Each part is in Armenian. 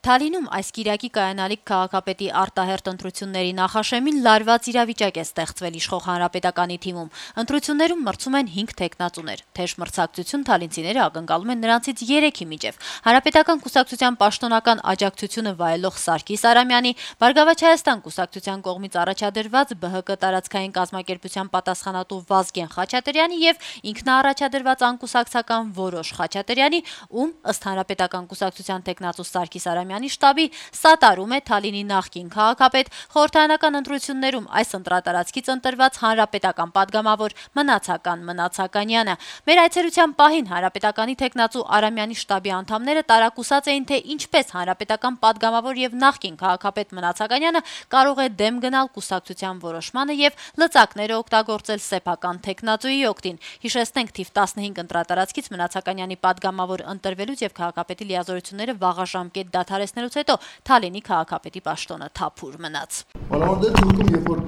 Թալինում այս կիրակի կայանալիք քաղաքապետի արտահերթ ընտրությունների նախաշեմին լարված իրավիճակ է ստեղծվել իշխող Հանրապետականի թիմում։ Ընտրություններում մրցում են 5 թեկնածուներ։ Թեժ մրցակցություն թալինցիները ակնկալում են նրանցից 3-ի միջև։ Հանրապետական կուսակցության պաշտոնական աջակցությունը վայելող Սարգիս Արամյանի, Բարգավաճ Հայաստան կուսակցության կողմից առաջադրված ԲՀԿ տարածքային կազմակերպության պատասխանատու Վազգեն Խաչատրյանի եւ ինքնաառաջադրված անկուսակցական Որոշ Խաչատրյանի, ում ըստ Հանրապետական կուսակցության թեկնածու Սարգիս Արամյանի շտաբի սատարում է Թալինի նախկին քաղաքապետ, խորհրդարանական ընտրություններում այս ընտրատարածքից ընտրված հանրապետական падգամավոր Մնացականյանը։ Մեր այցելության պահին Հանրապետականի թեկնածու Արամյանի շտաբի անդամները տարակուսած էին, թե ինչպես հանրապետական падգամավոր եւ նախկին քաղաքապետ Մնացականյանը կարող է դեմ գնալ կուսակցության որոշմանը եւ լծակները օգտագործել սեփական թեկնածուի օգտին։ Հիշեցնենք, թիվ 15 ընտրատարածքից Մնացականյանի падգամավոր ընտրվելուց եւ քաղաքապետի լիազորությունները վաղաժամկետ դադարեցնելուց հետո Թալինի քաղաքապետի պաշտոնը թափուր մնաց։ Մանավանդ դեպքում, երբ որ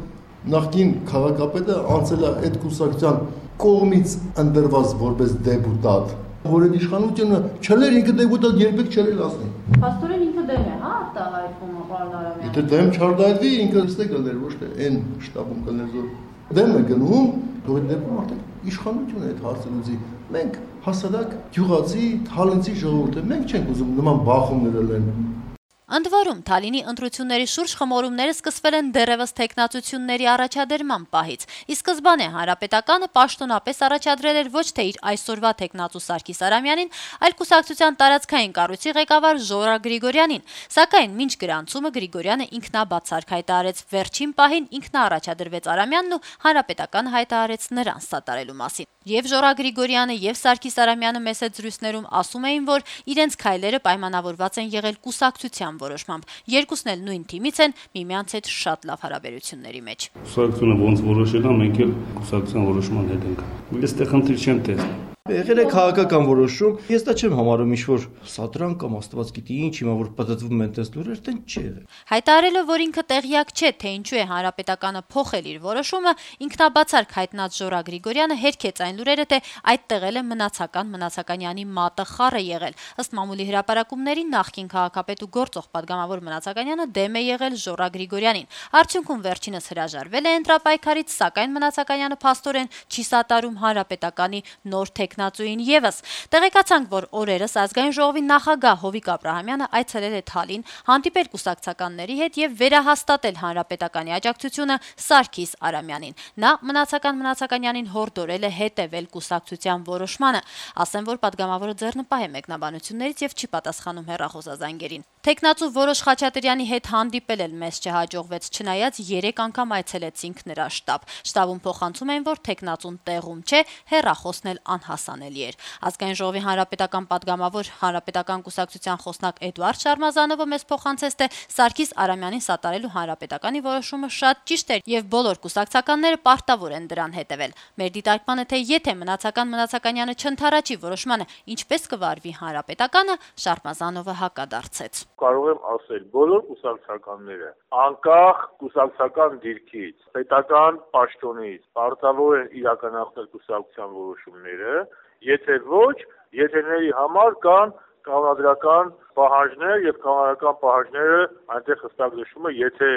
նախկին քաղաքապետը անցել է այդ կուսակցության կողմից ընտրված որպես դեպուտատ, որ այդ իշխանությունը չեր ինքը դեպուտատ երբեք չեր ասնի։ Փաստորեն ինքը դեմ է, հա, արտահայտվում պարոն Արամյան։ Եթե դեմ չարտահայտվի, ինքը ստե կներ, ոչ թե այն շտաբում կներ զոր դեմ է գնում, դու այդ դեպքում արդեն իշխանությունը այդ հարցը լուծի։ Մենք հասարակ գյուղացի, թալինցի ժողովուրդ է, մենք չենք ուզում նման բախումներ լինեն։ Ընդ որում, Թալինի ընտրությունների շուրջ խմորումները սկսվել են դեռևս թեկնածությունների առաջադրման պահից։ Ի սկզբանե Հանրապետականը պաշտոնապես առաջադրել էր ոչ թե իր այսօրվա թեկնածու Սարգիս Արամյանին, այլ կուսակցության տարածքային կառույցի ղեկավար Ժորա Գրիգորյանին, սակայն մինչ գրանցումը Գրիգորյանը ինքնաբացարկ հայտարարեց, վերջին պահին ինքնաառաջադրվեց Արամյանն ու Հանրապետականը հայտարարեց նրան սատարելու մասին։ Եվ Ժորա Գրիգորյանը եւ Սարգիս Արամյանը մեծ զրույցներում ասում էին, որ իրենց քայլերը պայմանավորված են եղել կուսակցության որոշմամբ։ Երկուսն էլ նույն թիմից են, միմյանց հետ շատ լավ հարաբերությունների մեջ։ Կուսակցությունը ոնց որոշել է, մենք էլ կուսակցության որոշման հետ ենք։ Ես այդտեղ խնդիր չեմ տեսնում։ Եղել է քաղաքական որոշում, ես դա չեմ համարում ինչ-որ սատրան կամ աստված գիտի ինչ, հիմա որ պատտվում են տես լուրեր, դեն չի եղել։ Հայտարարելով, որ ինքը տեղյակ չէ, թե ինչու է Հանրապետականը փոխել իր որոշումը, ինքնաբացարկ հայտնած Ժորա Գրիգորյանը հերքեց այն լուրերը, թե այդտեղ էլ է Մնացականյանի մատը խառը եղել։ Ըստ մամուլի հրապարակումների նախկին քաղաքապետ ու գործող падգամավոր Մնացականյանը դեմ է եղել Ժորա Գրիգորյանին։ Արդյունքում վերջինս հրաժարվել է ընտրապայքարից, սակայն Մնացականյանը փաստորեն չի սատարում Հանրապետականի նոր թեկնածուին եւս։ Տեղեկացանք, որ օրերս ազգային ժողովի նախագահ Հովիկ Աբրահամյանը այցելել է Թալին, հանդիպել կուսակցականների հետ եւ վերահաստատել Հանրապետականի աջակցությունը Սարգիս Արամյանին։ Նա Մնացականյանին հորդորել է հետևել կուսակցության որոշմանը։ Ասեմ, որ падգամավորը ձեռնպահ է մեկնաբանություններից եւ չի պատասխանում հեռախոսազանգերին։ Թեկնածու Որոշ Խաչատրյանի հետ հանդիպել էլ մեզ չհաջողվեց, չնայած 3 անգամ այցելեցինք նրա շտաբ։ Շտաբում փոխանցում են, որ թեկնածուն տեղում չէ, հեռախոսն էլ անհասանելի էր։ Ազգային ժողովի հանրապետական падգամավոր Հանրապետական կուսակցության խոսնակ Էդուարդ Շարմազանովը մեզ փոխանցեց, թե Սարգիս Արամյանին սատարելու Հանրապետականի որոշումը շատ ճիշտ էր եւ բոլոր կուսակցականները պարտավոր են դրան հետեւել։ Մեր դիտարկմանը, թե եթե Մնացականյանը չընդառաջի որոշմանը, ինչպես կվարվի Հանրապետականը, Շարմազանովը հակադարձեց։ Կարող եմ ասել, բոլոր կուսակցականները, անկախ կուսակցական դիրքից, պետական պաշտոնից, պարտավոր են իրականացնել կուսակցության որոշումները, եթե ոչ, եթերների համար կան կանոնադրական պահանջներ եւ կանոնադրական պահանջները այնտեղ հստակ նշվում է, եթե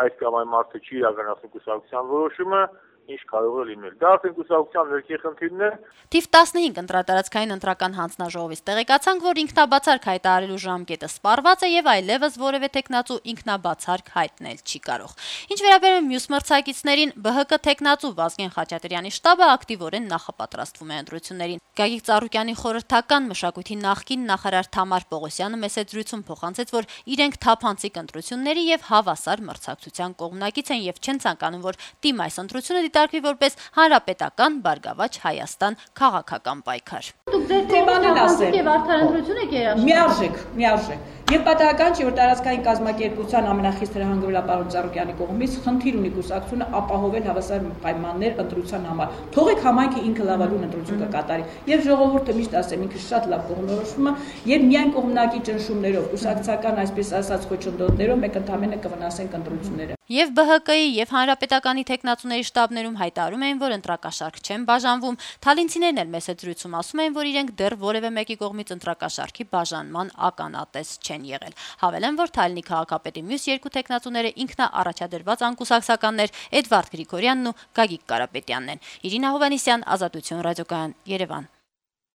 այդ կամ այն մարդը չի իրականացնում կուսակցության որոշումը, ինչ կարող է լինել։ Դա արդեն կուսակցության ներքին խնդիրն է։ Թիվ 15 ընտրատարածքային ընտրական հանձնաժողովից տեղեկացանք, որ ինքնաբացարկ հայտարարելու ժամկետը սպառված է եւ այլևս որևէ տեխնացու ինքնաբացարկ հայտնել չի կարող։ Ինչ վերաբերում մյուս մրցակիցներին, ԲՀԿ տեխնացու Վազգեն Խաչատրյանի շտաբը ակտիվորեն նախապատրաստվում է ընտրություններին։ Գագիկ Ծառուկյանի խորհրդական մշակույթի նախկին նախարար Թամար Պողոսյանը մեծ զրույցում փոխանցեց, որ իրենք թափանցիկ ընտրությունների եւ հավասար մրցակցության կողմնակից են եւ չեն ցանկանում, որ թիմ այս ընտրությունը դիտարկվի որպես հանրապետական Բարգավաճ Հայաստան քաղաքական պայքար։ Դուք ձեր թեմանին եւ արդար ընտրություն եք երաշխավորել։ Միարժեք։ Եվ պատահական չէ, որ տարածքային կազմակերպության ամենախիստ հրահանգվելա պարոն Ծառուկյանի կողմից խնդիր ունի կուսակցությունը ապահովել հավասար պայմաններ ընտրության համար։ Թողեք համայնքը ինքը լավագույն ընտրություն կկատարի։ Եվ ժողովուրդը միշտ ասեմ, ինքը շատ լավ կողմնորոշվում է, եւ միայն կողմնակի ճնշումներով, կուսակցական այսպես ասած խոչընդոտներով մենք ընդհանրապես կվնասենք ընտրությունները։ Եվ ԲՀԿ-ի եւ Հանրապետականի տեխնացուների շտաբներում հայտարարում են, որ ընտրակաշարք չեն բաժանվում։ Թալինցիներն էլ մեծ զրույցում ասում են, որ իրենք դեռ որևէ մեկի կողմից ընտրակաշարքի բաժանման ականատես չեն են եղել։ Հավելեն, որ Թալինի քաղաքապետի մյուս երկու տեխնացուները ինքնաառաջադրված անկուսակցականներ Էդվարդ Գրիգորյանն ու Գագիկ Կարապետյանն են։ Իրինա Հովհաննիսյան, Ազատություն ռադիոկայան, Երևան։